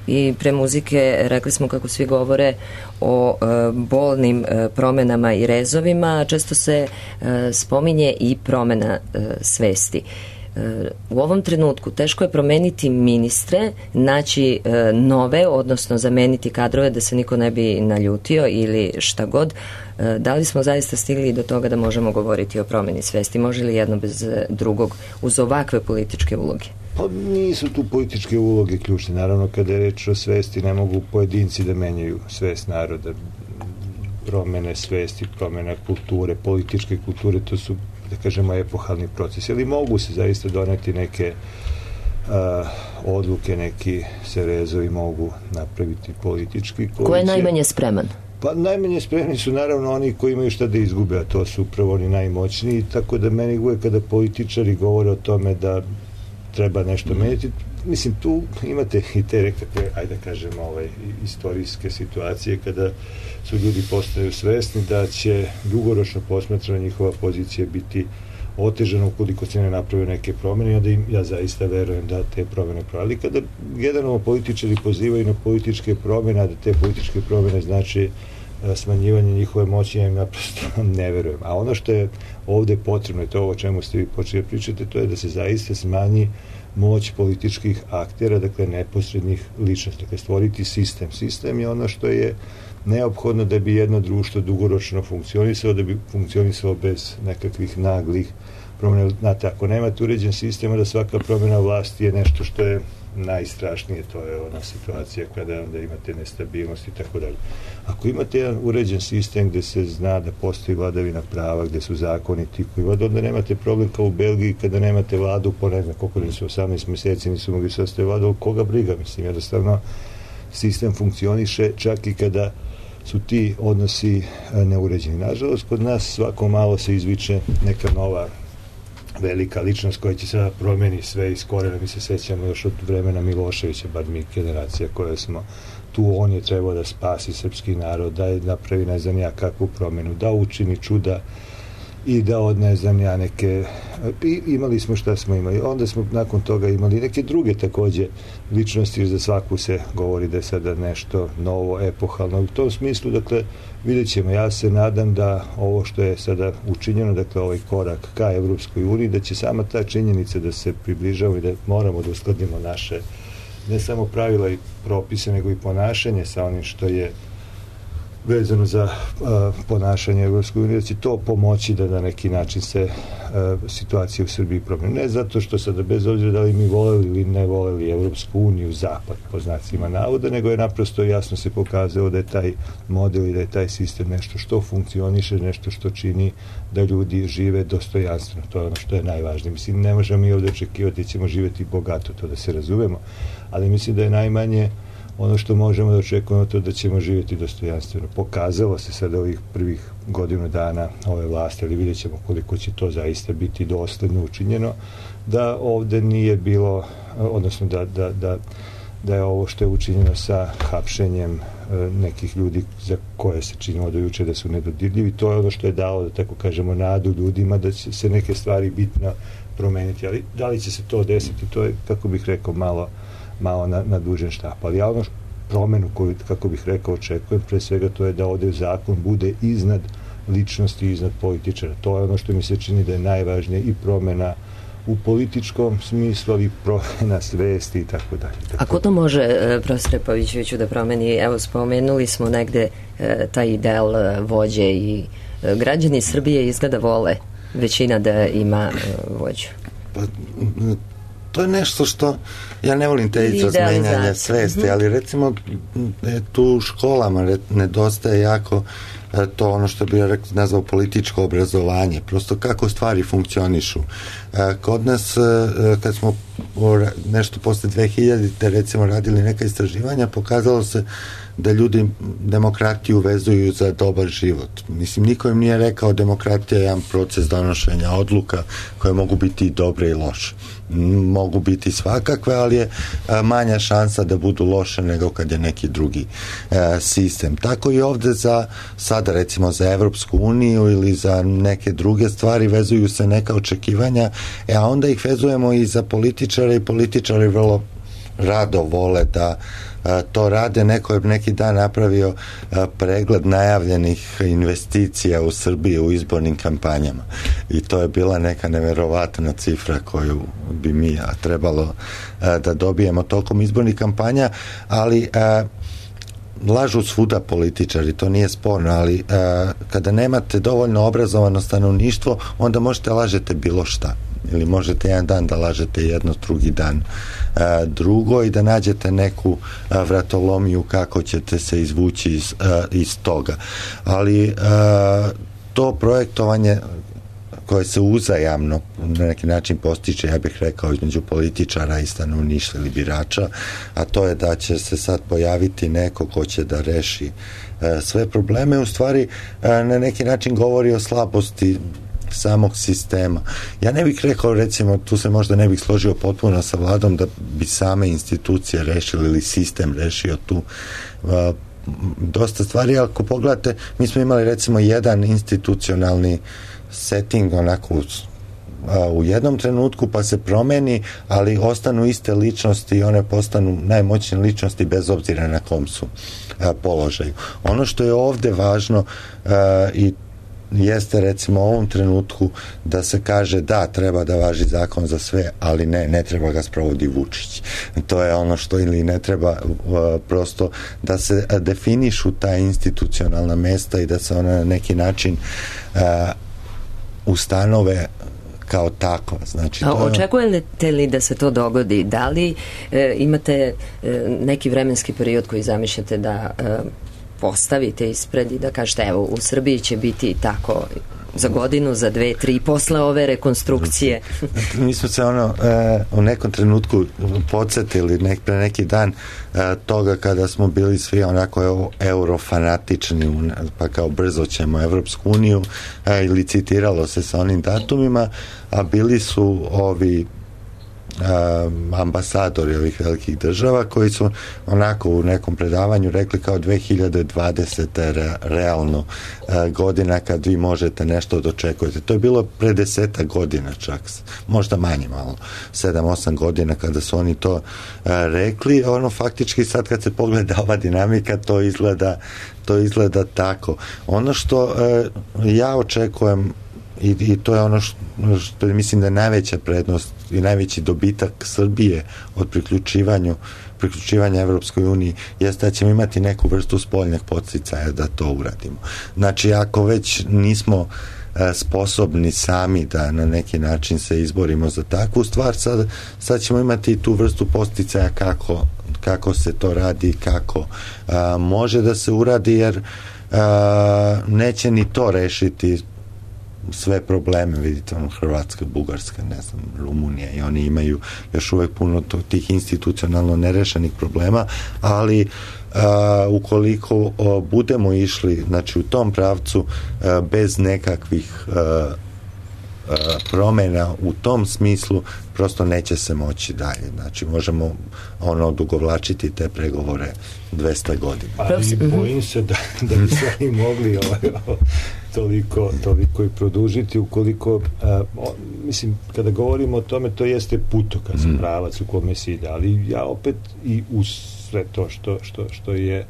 I pre muzike rekli smo kako svi govore o bolnim promenama i rezovima, a često se spominje i promena svesti. U ovom trenutku teško je promeniti ministre, naći nove, odnosno zameniti kadrove da se niko ne bi naljutio ili šta god. Da li smo zaista stigli do toga da možemo govoriti o promeni svesti? Može li jedno bez drugog uz ovakve političke uloge? Pa nisu tu političke uloge ključne. Naravno, kada je reč o svesti, ne mogu pojedinci da menjaju svest naroda. Promene svesti, promena kulture, političke kulture, to su, da kažemo, epohalni proces. Ali mogu se zaista doneti neke odluke, neki se rezovi mogu napraviti politički. Ko je najmanje spreman? Pa najmanje spremni su naravno oni koji imaju šta da izgube, a to su upravo oni najmoćniji, tako da meni uvek kada političari govore o tome da treba nešto menjati, mislim, tu imate i te nekakve, ajde da kažemo, istorijske situacije kada su ljudi postaju svesni da će dugoročno posmatrana njihova pozicija biti otežana ukoliko se ne naprave neke promene, i onda ja zaista verujem da te promene prave. Ali kada generalno političari pozivaju na političke promene, a da te političke promene znači smanjivanje njihove moći, ja im naprosto ne verujem. A ono što je ovde potrebno, je to o čemu ste vi počeli pričati, to je da se zaista smanji moć političkih aktera, dakle neposrednih ličnosti, dakle stvoriti sistem. Sistem je ono što je neophodno da bi jedno društvo dugoročno funkcionisalo, da bi funkcionisalo bez nekakvih naglih promjena. Znate, ako nemate uređen sistem, da svaka promjena vlasti je nešto što je najstrašnije, to je ona situacija kada onda imate nestabilnost i tako dalje. Ako imate jedan uređen sistem gde se zna da postoji vladavina prava, gde su zakoni ti koji vode, onda nemate problem kao u Belgiji kada nemate vladu po ne znam koliko da su 18 meseci nisu mogli sastaviti vladu, koga briga, mislim, jednostavno sistem funkcioniše čak i kada su ti odnosi neuređeni. Nažalost, kod nas svako malo se izviče neka nova velika ličnost koja će sada promeni sve iz korena. Mi se sećamo još od vremena Miloševića, bar mi generacija koja smo tu, on je trebao da spasi srpski narod, da je napravi ne znam ja kakvu promenu, da učini čuda i da od ne znam ja neke, imali smo šta smo imali, onda smo nakon toga imali neke druge takođe ličnosti, jer za svaku se govori da je sada nešto novo, epohalno. U tom smislu, dakle, vidjet ćemo, ja se nadam da ovo što je sada učinjeno, dakle ovaj korak ka Evropskoj uniji, da će sama ta činjenica da se približamo i da moramo da uskladimo naše ne samo pravila i propise, nego i ponašanje sa onim što je vezano za ponašanje Evropske unije, da će to pomoći da na neki način se situacija u Srbiji promeni. Ne zato što sada, bez obzira da li mi voleli ili ne voleli Evropsku uniju, zapad, po znacima navoda, nego je naprosto jasno se pokazalo da je taj model i da je taj sistem nešto što funkcioniše, nešto što čini da ljudi žive dostojanstveno. To je ono što je najvažnije. Mislim, ne možemo mi ovde očekivati da ćemo živeti bogato, to da se razumemo, ali mislim da je najmanje ono što možemo da očekujemo, to da ćemo živjeti dostojanstveno. Pokazalo se sada ovih prvih godinu dana ove vlasti, ali vidjet ćemo koliko će to zaista biti dosledno učinjeno, da ovde nije bilo, odnosno da je ovo što je učinjeno sa hapšenjem nekih ljudi za koje se činilo do juče da su nedodirljivi, to je ono što je dalo, da tako kažemo, nadu ljudima da će se neke stvari bitno promeniti, ali da li će se to desiti, to je, kako bih rekao, malo na dužen štap. Ali ja ono promenu koju, kako bih rekao, očekujem, pre svega to je da ovde zakon bude iznad ličnosti, iznad političara. To je ono što mi se čini da je najvažnije, i promena u političkom smislu, ali promjena svesti i tako dalje. A ko to može, profesore Pavićeviću, da promeni? Evo, spomenuli smo negde taj ideal vođe i građani Srbije izgleda vole većina da ima vođu. Pa, to je nešto što ja ne volim te izraz menjanja svesti, ali recimo tu u školama nedostaje jako to ono što bih nazvao političko obrazovanje, prosto kako stvari funkcionišu. Kod nas, kad smo nešto posle 2000-te recimo radili neka istraživanja, pokazalo se da ljudi demokratiju vezuju za dobar život. Mislim, niko im nije rekao demokratija je jedan proces donošenja odluka koje mogu biti i dobre i loše. Mogu biti svakakve, ali je manja šansa da budu loše nego kad je neki drugi sistem. Tako i ovde sada recimo za Evropsku uniju ili za neke druge stvari vezuju se neka očekivanja, a onda ih vezujemo i za političare i političari vrlo rado vole da to rade. Neko je neki dan napravio pregled najavljenih investicija u Srbiji u izbornim kampanjama i to je bila neka neverovatna cifra koju bi mi trebalo da dobijemo tokom izbornih kampanja, ali lažu svuda političari, to nije sporno, ali kada nemate dovoljno obrazovano stanovništvo, onda možete lažete bilo šta. Ili možete jedan dan da lažete jedno, drugi dan drugo i da nađete neku vratolomiju kako ćete se izvući iz toga. Ali to projektovanje koje se uzajamno na neki način postiče, ja bih rekao, između političara i stanovništva ili birača, a to je da će se sad pojaviti neko ko će da reši sve probleme, u stvari na neki način govori o slabosti samog sistema. Ja ne bih rekao, recimo, tu se možda ne bih složio potpuno sa vladom da bi same institucije rešili ili sistem rešio tu dosta stvari, ali ako pogledate, mi smo imali recimo jedan institucionalni setting onako u jednom trenutku pa se promeni, ali ostanu iste ličnosti i one postanu najmoćnije ličnosti bez obzira na kom su položaju. Ono što je ovde važno i jeste recimo u ovom trenutku da se kaže da treba da važi zakon za sve, ali ne treba ga sprovodi Vučić. To je ono što ili ne treba prosto da se definišu ta institucionalna mesta i da se ona na neki način ustanove kao tako. Znači, očekujete li da se to dogodi? Da li imate neki vremenski period koji zamišljate da postavite ispred i da kažete evo u Srbiji će biti tako za godinu, za 2, 3 posle ove rekonstrukcije? Mi smo se u nekom trenutku podsjetili pre neki dan toga kada smo bili svi onako eurofanatični, pa kao brzo ćemo Evropsku uniju, i licitiralo se sa onim datumima, a bili su ovi ambasadori ovih velikih država koji su onako u nekom predavanju rekli kao 2020. realno godina kad vi možete nešto da očekujete. To je bilo pre 10 godina čak, možda manje malo, 7-8 godina kada su oni to rekli. Faktički sad kad se pogleda ova dinamika to izgleda tako. Ono što ja očekujem i to je ono što mislim da je najveća prednost i najveći dobitak Srbije od priključivanja Evropskoj uniji jeste da ćemo imati neku vrstu spoljnog podsticaja da to uradimo. Znači, ako već nismo sposobni sami da na neki način se izborimo za takvu stvar, sad ćemo imati tu vrstu podsticaja kako se to radi, kako može da se uradi, jer neće ni to rešiti sve probleme, vidite, Hrvatska, Bugarska, ne znam, Rumunija, i oni imaju još uvek puno tih institucionalno nerešenih problema, ali ukoliko budemo išli, znači, u tom pravcu bez nekakvih promena u tom smislu, prosto neće se moći dalje. Znači, možemo odugovlačiti te pregovore 200 godina. Ali bojim se da bi se oni mogli toliko i produžiti ukoliko, mislim, kada govorimo o tome, to jeste putokaz, pravac u kome se ide, ali ja opet i uz sve to što je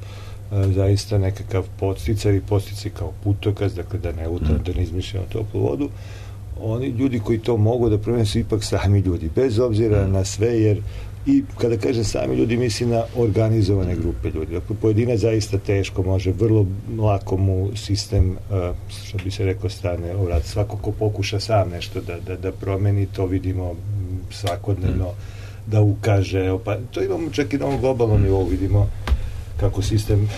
zaista nekakav podsticaj i podsticaj kao putokaz, dakle da ne izmišljamo toplu vodu, oni ljudi koji to mogu da promene su ipak sami ljudi, bez obzira na sve, jer i kada kažem sami ljudi, mislim na organizovane grupe ljudi. Dakle, pojedinac zaista teško može, vrlo lako mu sistem, što bi se rekao, strane obrati. Svako ko pokuša sam nešto da promeni, to vidimo svakodnevno, da ukaže, pa to imamo čak i na ovom globalnom nivou, vidimo kako sistem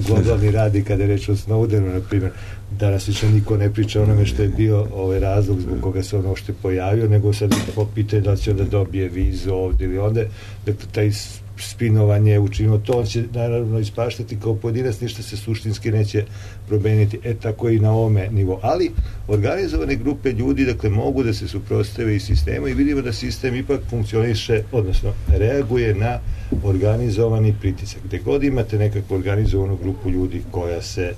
globalni radi kada je reč o Snowdenu, na primjer. Danas više niko ne priča onome što je bio razlog zbog koga se ono što je pojavio, nego sad pitanje da će onda dobije vizu ovdje ili onda. Dakle, taj spinovanje učinimo to, on će naravno ispaštati kao pojedinac, ništa se suštinski neće promeniti. Tako i na ovome nivou. Ali organizovane grupe ljudi, dakle, mogu da se suprotstave i sistemu i vidimo da sistem ipak funkcioniše, odnosno reaguje na organizovani pritisak. Gde god imate nekakvu organizovanu grupu ljudi koja se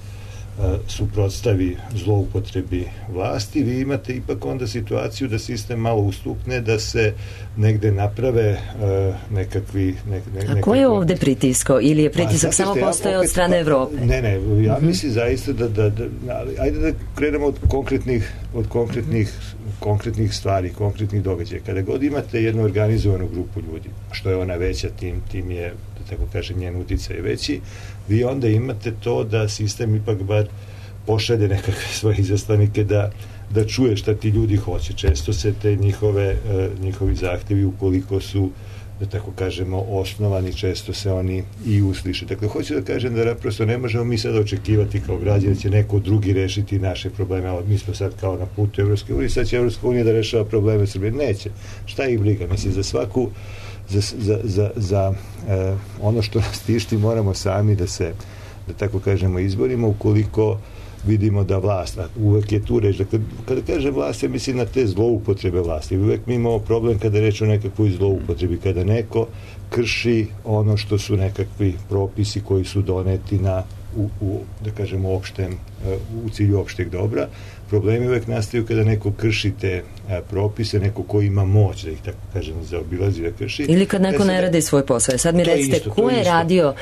suprotstavi zloupotrebi vlasti, vi imate ipak onda situaciju da sistem malo ustukne, da se negde naprave nekakvi... A ko je ovde pritiskao? Ili je pritisak samo postoje od strane Evrope? Ne, ja mislim zaista ajde da krenemo od konkretnih stvari, konkretnih događaja. Kada god imate jednu organizovanu grupu ljudi, što je ona veća, tim je, da tako kažem, njen uticaj je veći, vi onda imate to da sistem ipak bar pošalje nekakve svoje izaslanike da čuje šta ti ljudi hoće. Često se te njihovi zahtevi, ukoliko su, da tako kažemo, osnovani, često se oni i usliše. Dakle, hoću da kažem da prosto ne možemo mi sada očekivati kao građani da će neko drugi rešiti naše probleme. Mi smo sad kao na putu Evropske unije, sad će Evropska unija da rešava probleme Srbije. Neće. Šta ih briga? Mislim, za svaku za ono što nas tišti moramo sami da se, da tako kažemo, izborimo, ukoliko vidimo da vlast, uvek je tu reč, dakle, kada kažem vlast, ja mislim na te zloupotrebe vlasti. Uvek mi imamo problem kada je reč o nekakvoj zloupotrebi, kada neko krši ono što su nekakvi propisi koji su doneti da kažemo, u cilju opšteg dobra. Problemi uvek nastaju kada neko krši te propise, neko ko ima moć da ih, tako kažem, zaobilazi, da krši. Ili kad neko ne radi svoj posao. Sad mi recite, ko je radio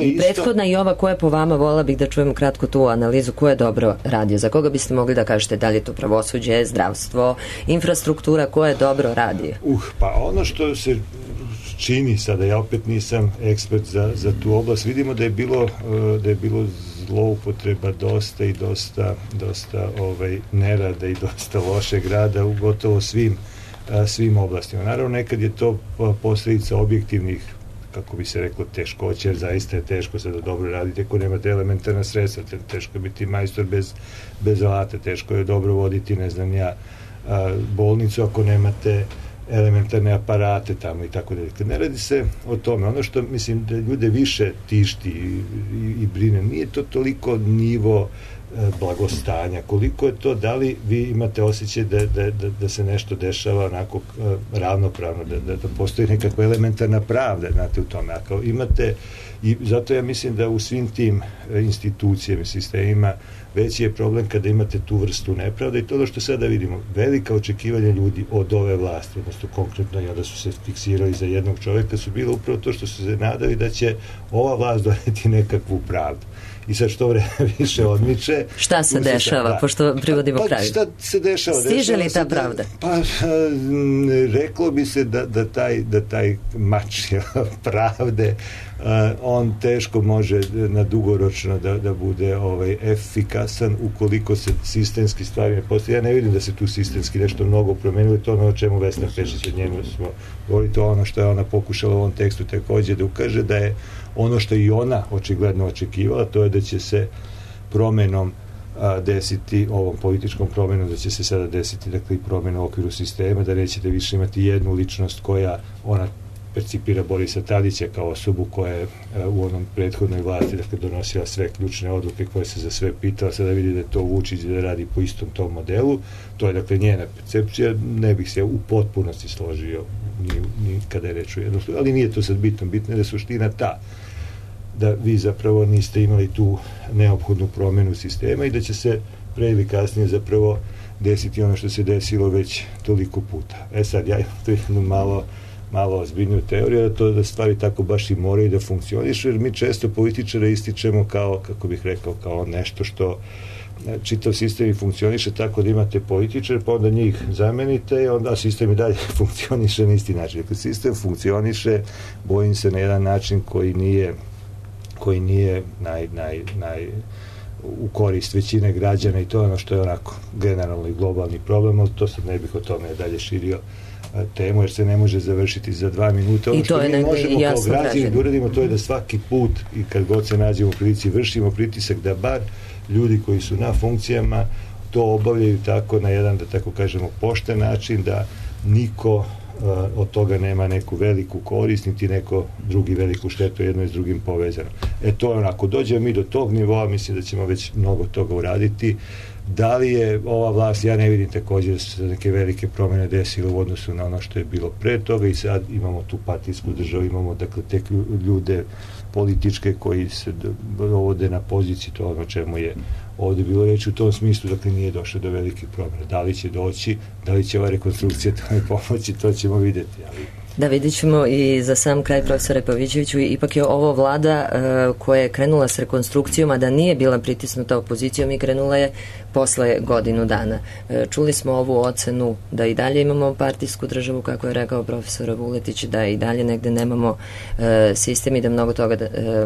i prethodna i ova, ko je po vama, volila bih da čujemo kratko tu analizu, ko je dobro radio, za koga biste mogli da kažete, da li je to pravosuđe, zdravstvo, infrastruktura, ko je dobro radio? Pa ono što se čini sada, ja opet nisam ekspert za tu oblast, vidimo da je bilo zloupotreba dosta i dosta nerada i dosta lošeg rada u gotovo svim oblastima. Naravno, nekad je to posljedica objektivnih, kako bi se reklo, teškoće, jer zaista je teško sada dobro raditi ako nemate elementarna sredstva, teško je biti majstor bez alata, teško je dobro voditi, ne znam ja, bolnicu ako nemate elementarne aparate tamo i tako dalje. Ne radi se o tome. Ono što mislim da ljude više tišti i brine, nije to toliko nivo blagostanja, koliko je to, da li vi imate osjećaj da se nešto dešava onako ravnopravno, da postoji nekakva elementarna pravda, znate, u tome. Ako imate, i zato ja mislim da u svim tim institucijama i sistemima veći je problem kada imate tu vrstu nepravde i to što sada vidimo, velika očekivanja ljudi od ove vlasti, odnosno konkretno i onda su se fiksirali za jednog čoveka, su bilo upravo to što su se nadali da će ova vlast doneti nekakvu pravdu. I sad što vreme više odmiče. Šta se dešava, pošto privodimo kraju? Šta se dešava? Stiže li ta pravda? Pa, reklo bi se da taj mač pravde, on teško može na dugoročno da bude efikasan ukoliko se sistemski stvari ne postoji. Ja ne vidim da se tu sistemski nešto mnogo promenilo, to ono o čemu Vesna Pešić, od njenu smo govorili, to ono što je ona pokušala u ovom tekstu takođe da ukaže, da je ono što i ona očigledno očekivala, to je da će se promenom desiti, ovom političkom promenom, da će se sada desiti, dakle, i promena u okviru sistema, da nećete više imati jednu ličnost koja ona percipira Borisa Tadića kao osobu koja je u onom prethodnoj vlasti, dakle, donosila sve ključne odluke koje se za sve pitala, sada vidi da je to Vučić, da radi po istom tom modelu. To je, dakle, njena percepcija, ne bih se u potpunosti složio ni kada je reč o jednom, ali nije to sad bitno je da je suština ta da vi zapravo niste imali tu neophodnu promenu sistema i da će se pre ili kasnije zapravo desiti ono što se desilo već toliko puta. Sad, ja imam tu jednu malo ozbiljniju teoriju, da stvari tako baš i moraju da funkcionišu, jer mi često političare ističemo kao, kako bih rekao, kao nešto što čitav sistem i funkcioniše tako da imate političare, pa onda njih zamenite i onda sistem i dalje funkcioniše na isti način. Dakle, sistem funkcioniše, bojim se, na jedan način koji nije u korist većine građana, i to je ono što je onako generalno i globalni problem, ali to sad ne bih o tome dalje širio temu, jer se ne može završiti za 2 minuta. Ono što mi možemo kao građani da uradimo, to je da svaki put i kad god se nađemo u prilici vršimo pritisak da bar ljudi koji su na funkcijama to obavljaju tako na jedan, da tako kažemo, pošten način, da niko od toga nema neku veliku korist, niti neko drugi veliku štetu, jedno je s drugim povezano. To je onako, dođemo mi do tog nivoa, mislim da ćemo već mnogo toga uraditi. Da li je ova vlast, ja ne vidim također da se neke velike promjene desile u odnosu na ono što je bilo pre toga, i sad imamo tu partijsku državu, imamo dakle te ljude političke koji se dovode na poziciji, to ono čemu je ovdje bilo reći, u tom smislu, dakle nije došlo do velikih promjena. Da li će doći, da li će ova rekonstrukcija tome pomoći, to ćemo vidjeti, ali... Da, vidjet ćemo. I za sam kraj, profesore Pavićeviću, ipak je ovo vlada koja je krenula s rekonstrukcijom, a da nije bila pritisnuta opozicijom, i krenula je posle godinu dana. Čuli smo ovu ocenu da i dalje imamo partijsku državu, kako je rekao profesor Vuletić, da i dalje negde nemamo sistem i da mnogo toga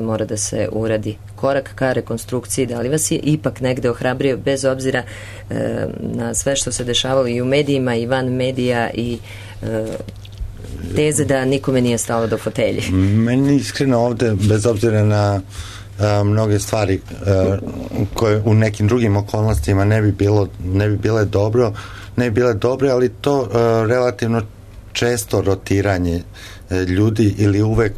mora da se uradi. Korak ka rekonstrukciji, da li vas je ipak negde ohrabrio, bez obzira na sve što se dešavalo i u medijima i van medija i teze da nikome nije stalo do fotelje? Meni iskreno ovde, bez obzira na mnoge stvari koje u nekim drugim okolnostima ne bi bile dobre, ali to relativno često rotiranje ljudi ili uvek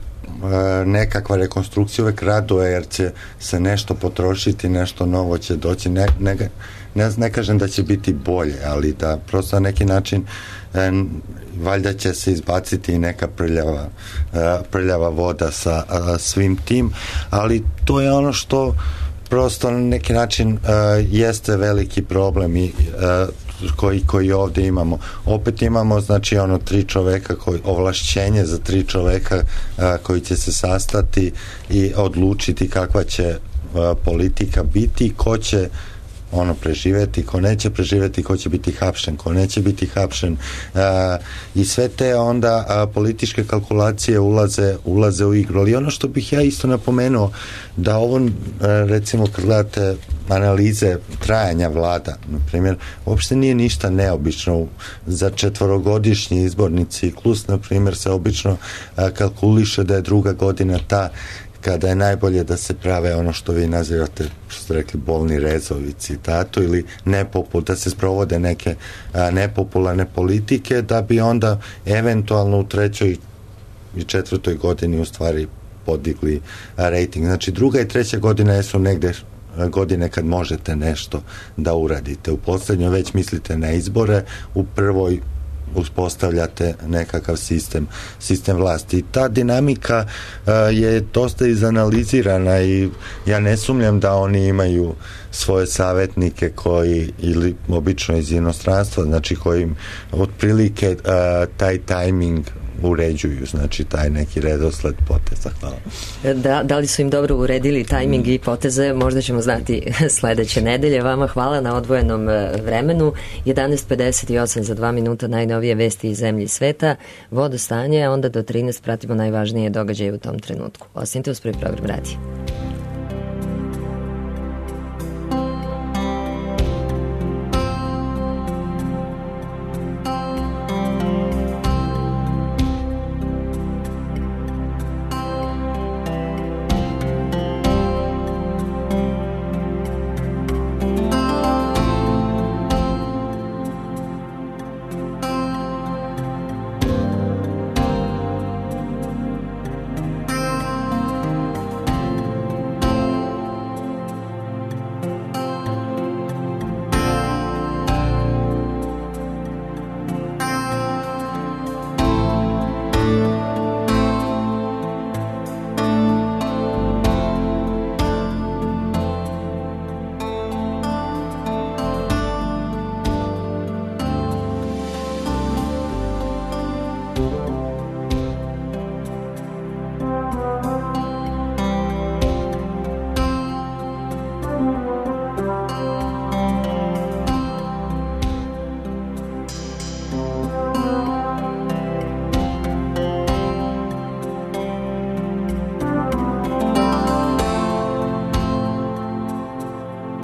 nekakva rekonstrukcija uvek raduje, jer će se nešto potrošiti, nešto novo će doći, ne kažem da će biti bolje, ali da prosto na neki način valjda će se izbaciti i neka prljava voda sa svim tim, ali to je ono što prosto na neki način jeste veliki problem i koji ovdje imamo. Opet imamo, znači, 3 čoveka, ovlašćenje za 3 čoveka koji će se sastati i odlučiti kakva će politika biti, ko će preživeti, ko neće preživeti, ko će biti hapšen, ko neće biti hapšen, i sve te onda političke kalkulacije ulaze u igru. Ali ono što bih ja isto napomenuo, da ovo, recimo, kad gledate analize trajanja vlada, na primjer, uopšte nije ništa neobično. Za 4-godišnji izborni ciklus, na primjer, se obično kalkuliše da je druga godina ta kada je najbolje da se prave ono što vi nazivate, što ste rekli, bolni rezovi, citatu, ili da se sprovode neke nepopularne politike, da bi onda eventualno u 3. i 4. godini u stvari podigli rejting. Znači, 2. i 3. godina su negde godine kad možete nešto da uradite. U poslednjoj već mislite na izbore, u prvoj uspostavljate nekakav sistem vlasti. I ta dinamika je dosta izanalizirana i ja ne sumnjam da oni imaju svoje savjetnike koji, ili obično iz inostranstva, znači koji otprilike taj tajming uređuju, znači taj neki redosled poteza. Hvala. Da li su im dobro uredili tajming i poteze, možda ćemo znati sledeće nedelje. Vama hvala na odvojenom vremenu. 11:58 za 2 minuta, najnovije vesti iz zemlje i sveta, vodostanje, a onda do 13 pratimo najvažnije događaje u tom trenutku. Ostanite uz Prvi program radija.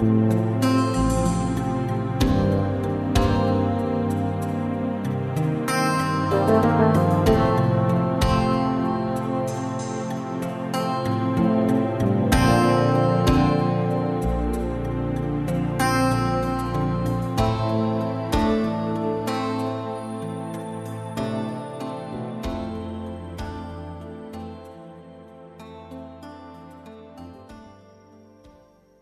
Thank